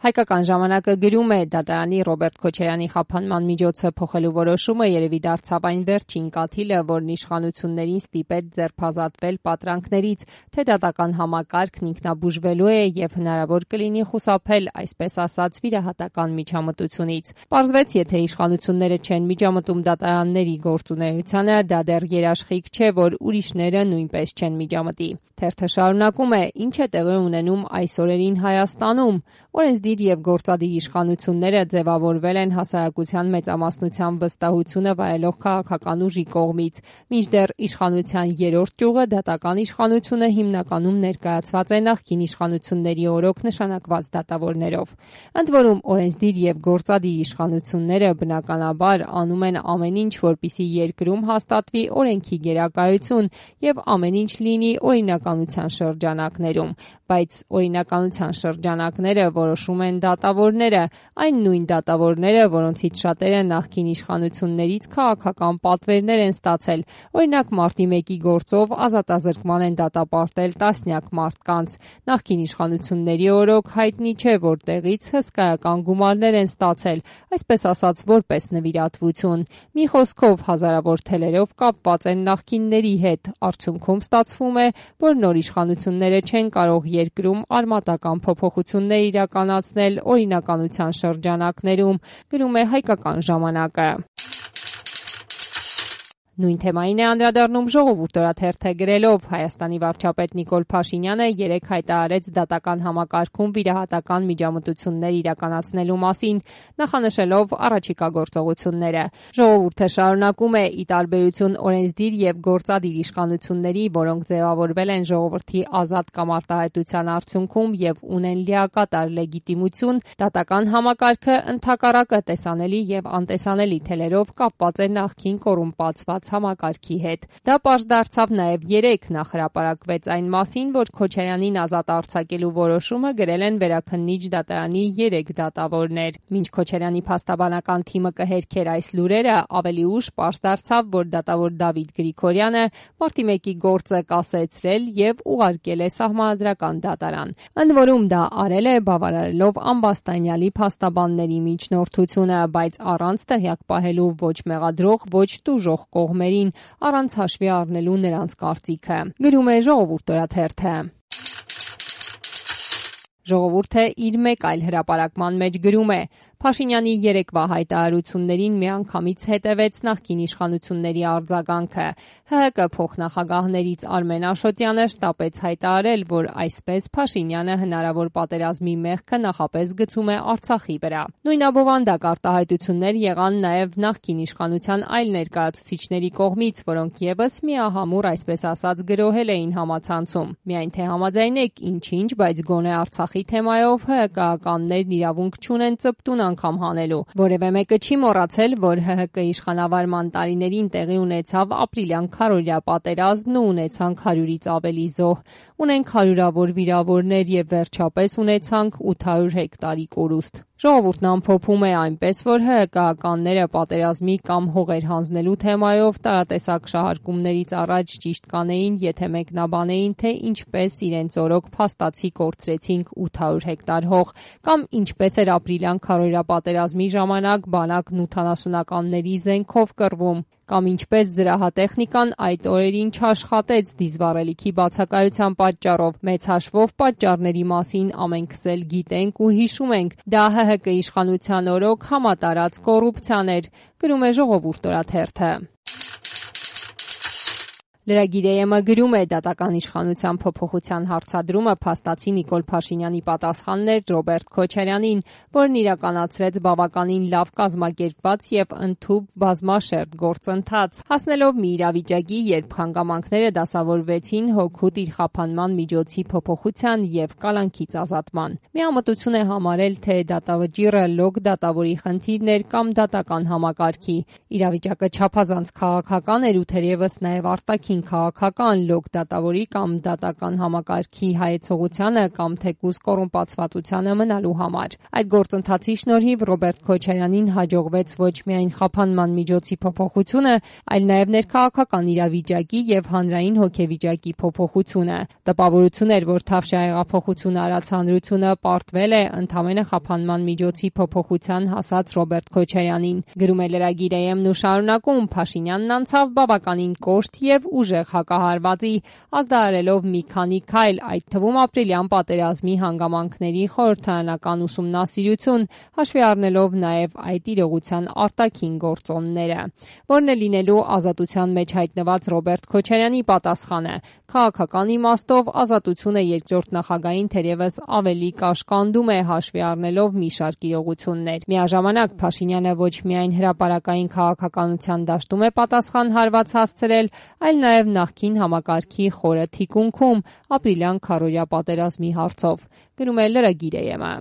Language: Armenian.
Հայկական ժամանակը գրում է դատարանի Ռոբերտ Քոչարյանի խափանման միջոցը փոխելու որոշումը երևի դարձավ այն վերջին կաթիլը, որն իշխանություններին ստիպեց ձերբազատվել պատրանքներից, թե դատական համակարգն ինքնաբուժվելու է եւ հնարավոր կլինի խուսափել, այսպես ասած, վիրահատական միջամտությունից։ Պարզվեց, եթե իշխանությունները չեն միջամտում դատարանների գործունեությանը, դա դեռ երաշխիք չէ, որ ուրիշները նույնպես չեն միջամտի։ Թերթը շարունակում է. ինչ է տեղի ունենում այս օրերին Հայաստանում։ Օրենսդիր եւ գործադիր իշխանությունները ձևավորվել են հասարակության մեծամասնության վստահությունը վայելող քաղաքական ուժի կողմից, մինչդեռ իշխանության երրորդ ճյուղը դատական իշխանությունը հիմնականում ներկայացված է նախկին իշխանությունների օրոք նշանակված դատավորներով։ Ընդ որում օրենսդիր եւ գործադիր իշխանությունները բնականաբար անում են ամեն ինչ, որպեսզի երկրում հաստատվի օրենքի գերակայություն եւ ամեն ինչ լինի օրինականության շրջանակներում, բայց օրինականության շրջանակները որոշում են դատավորները, այն նույն դատավորները, որոնցից շատերը նախկին իշխանություններից քաղաքական պատվերներ են ստացել, օրինակ մարտի 1-ի գործով ազատազրկման են դատապարտել տասնյակ մարդկանց, նախկին իշխանությունների օրոք հայտնի չէ որտեղից հսկայական գումարներ են ստացել, այսպես ասած որպես նվիրատվություն, մի խոսքով հազարավոր թելերով կապված են նախկինների հետ, արդյունքում ստացվում է, որ նոր իշխանությունները չեն կարող երկրում արմատական փոփոխություններ իրականացնել օրինականության շրջանակներում, գրում է Հայկական ժամանակը։ Նույն թեմային է անդրադառնում Ժողովուրդ օրաթերթը գրելով. Հայաստանի վարչապետ Նիկոլ Փաշինյանը երեկ հայտարարեց դատական համակարգում վիրահատական միջամտություններ իրականացնելու մասին, նախանշելով առաջիկա գործողությունները։ Ժողովուրդը շարունակում է. ի տարբերություն օրենսդիր եւ գործադիր իշխանությունների, որոնք ձևավորվել են ժողովրդի ազատ կամ արտահայտության արդյունքում եւ ունեն լիակատար լեգիտիմություն, դատական համակարգը ընդհակառակը տեսանելի եւ անտեսանելի թելերով կապված է նախկին կոռումպացված համակարգի հետ։ Դա պարզ դարձավ նաև երեկ հրապարակվեց այն մասին, որ Քոչարյանին ազատ արձակելու որոշումը գրել են Վերաքննիչ դատարանի 3 դատավորներ։ Մինչ Քոչարյանի փաստաբանական թիմը կհերքեր այս լուրերը, ավելի ուշ պարզ դարձավ, որ դատավոր Դավիթ Գրիգորյանը մարտի 1-ի գործը կասեցրել եւ ուղարկել է սահմանադրական դատարան։ Ընդ որում դա արել է բավարարելով ամբաստանյալի փաստաբանների միջնորդությունը, բայց առանց տեղյակ պահելու ոչ մեղադրող, ոչ տուժող կողմերին, առանց հաշվի առնելու նրանց կարծիքը, գրում է Ժողովուրդ օրաթերթը։ Ժողովուրդը իր մեկ այլ հրապարակման մեջ գրում է. Փաշինյանի երեկվա հայտարարություններին միանգամից հետևեց նախկին իշխանությունների արձագանքը։ ՀՀԿ փոխնախագահներից Արմեն Աշոտյանը շտապեց հայտարարել, որ այսպես Փաշինյանը հնարավոր պատերազմի մեղքը նախապես գցում է Արցախի վրա։ Նույն abովանդակ արտահայտություններ եղան նաև նախկին իշխանության այլ ներկայացուցիչների կողմից, որոնք եւս միահամուռ, այսպես ասած, գրոհել էին համացանցում։ Միայն թե համաձայնեք ինչ-ինչ, բայց գոնե Արցախի թեմայով ՀՀԿ-ականներն իրավունք չունեն ծպտուն անգամ հանելու։ Որևէ մեկը չի մոռացել, որ ՀՀԿ իշխանավարման տարիներին տեղի ունեցավ ապրիլյան քարոզիա պատերազմն ու ունեցանք 100-ից ավելի զոհ, ունենք հարյուրավոր վիրավորներ եւ վերջապես ունեցանք 800 հեկտարի կորուստ։ Ժողովուրդն ամփոփում է այնպես, որ ՀՀԿ-ականները պատերազմի կամ հողեր հանձնելու թեմայով տարատեսակ շահարկումներից առաջ ճիշտ կանեին, եթե մեկնաբանեին, թե ինչպես իրենց օրոք փաստացի կորցրեցինք 800 հեկտար հող, կամ ինչպես էր ապրիլյան քարոզիա պատերազմի ժամանակ բանակն 80-ականների զենքով կռվում, կամ ինչպես զրահատեխնիկան այդ օրերին չաշխատեց դիզվառելիքի բացակայության պատճառով։ Մեծ հաշվով պատճառների մասին ամենքս էլ գիտենք ու հիշում ենք։ Դա ՀՀԿ իշխանության օրոք համատարած կոռուպցիան էր, գրում է Ժողովուրդ օրաթերթը։ Լրագիր-ը գրում է դատական իշխանության փոփոխության հարցադրումը փաստացի Նիկոլ Փաշինյանի պատասխանն էր Ռոբերտ Քոչարյանին, որն իրականացրեց բավականին լավ կազմակերպված եւ ընդհուպ բազմաշերտ գործընթաց, հասնելով մի իրավիճակի, երբ հանգամանքները դասավորվեցին հօգուտ իր խափանման միջոցի փոփոխության եւ կալանքից ազատման։ Միամտություն է համարել, թե դատավճիռը լոկ դատավորի խնդիրն էր կամ դատական համակարգի։ Իրավիճակը չափազանց քաղաքական էր ու թերևս նաեւ արտաքին նախկին քաղաքական լոկ դատավորի կամ դատական համակարգի հայեցողությանը կամ թեկուզ կոռումպացվածությանը մնալու համար։ Այդ գործընթացի շնորհիվ Ռոբերտ Քոչարյանին հաջողվեց ոչ միայն խափանման միջոցի փոփոխությունը, այլ նաև ներքաղաքական իրավիճակի եւ հանրային հոգեվիճակի փոփոխությունը։ Տպավորություն էր, որ Թավշյա հեղափոխությունը արած հանրությունը պարտվել է ընդամենը խափանման միջոցի փոփոխության հասած Ռոբերտ Քոչարյանին։ Գրում է լրագիր ԵՄ-ն ու շարունակում. Փաշինյանն անցավ բավականին կոշտ եւ ուժեղ հակահարվածի, ազդարարելով մի քանի քայլ, այդ թվում ապրիլյան պատերազմի հանգամանքների խորհրդարանական ուսումնասիրություն, հաշվի առնելով նաեւ այդ իրողության արտաքին գործոնները։ Որն է լինելու ազատության մեջ հայտնված Ռոբերտ Քոչարյանի պատասխանը։ Քաղաքական իմաստով ազատությունը երկրորդ նախագահին թերևս ավելի կաշկանդում է, հաշվի առնելով մի շարք իրողություններ։ Միաժամանակ Փաշինյանը ոչ միայն հրապարակային քաղաքականության դաշտում է պատասխան հարված հասցրել, այլ նաև նախկին համակարգի խորը թիկունքում ապրիլյան քարոզիա պատերազմի հարցով։ Գրում է լրագիր ԵՄ-ը։